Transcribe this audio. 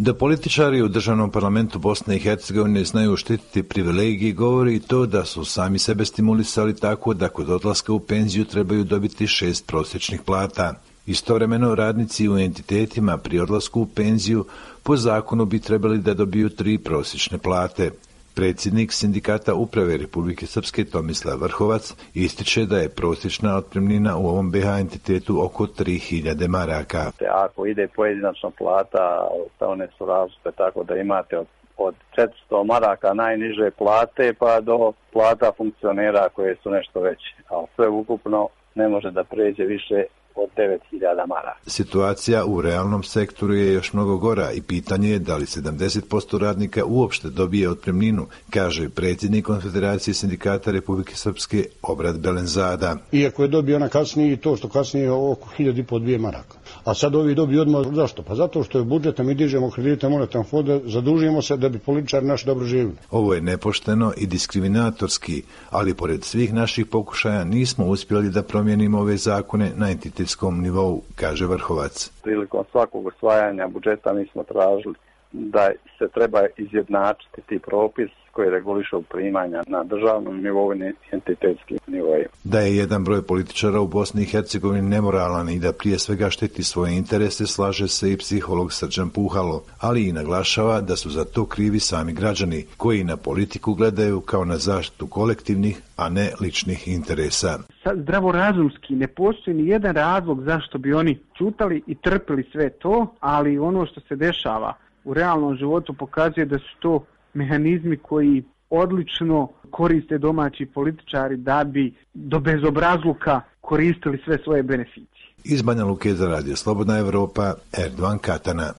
Da političari u državnom parlamentu Bosne i Hercegovine znaju štititi privilegije govori i to da su sami sebe stimulisali tako da kod odlaska u penziju trebaju dobiti 6 prosječnih plata. Istovremeno radnici u entitetima pri odlasku u penziju po zakonu bi trebali da dobiju 3 prosječne plate. Predsjednik Sindikata uprave Republike Srpske Tomislav Vrhovac ističe da je prosječna otpremnina u ovom BiH entitetu oko 3000 maraka. Ako ide pojedinačna plata, one su različite, tako da imate od 400 maraka najniže plate pa do plata funkcionera koje su nešto veće. A sve ukupno ne može da pređe više od 9000 maraka. Situacija u realnom sektoru je još mnogo gora i pitanje je da li 70% radnika uopšte dobije otpremninu, kaže predsjednik Konfederacije sindikata Republike Srpske Obrad Belenzada. Iako je dobio ona kasnije i to što kasnije je oko 1500 maraka. A sad ovi dobiju odmah. Zašto? Pa zato što je budžeta, mi dižemo kredite monetarnog fonda, zadužujemo se da bi političari naši dobro živjeli. Ovo je nepošteno i diskriminatorski, ali pored svih naših pokušaja nismo uspjeli da promijenimo ove zakone na entitetskom nivou, kaže Vrhovac. Prilikom svakog usvajanja budžeta mi smo tražili da se treba izjednačiti ti propis koji regulišu primanja na državnom nivou i entitetskim nivoima. Da je jedan broj političara u Bosni i Hercegovini nemoralan i da prije svega štiti svoje interese, slaže se i psiholog Srđan Puhalo, ali i naglašava da su za to krivi sami građani, koji na politiku gledaju kao na zaštitu kolektivnih, a ne ličnih interesa. Zdravorazumski ne postoji ni jedan razlog zašto bi oni ćutali i trpili sve to, ali ono što se dešava u realnom životu pokazuje da su to mehanizmi koji odlično koriste domaći političari da bi do bezobrazluka koristili sve svoje beneficije. Iz Banja Luke za Radio Slobodna Evropa, Erdovan Katana.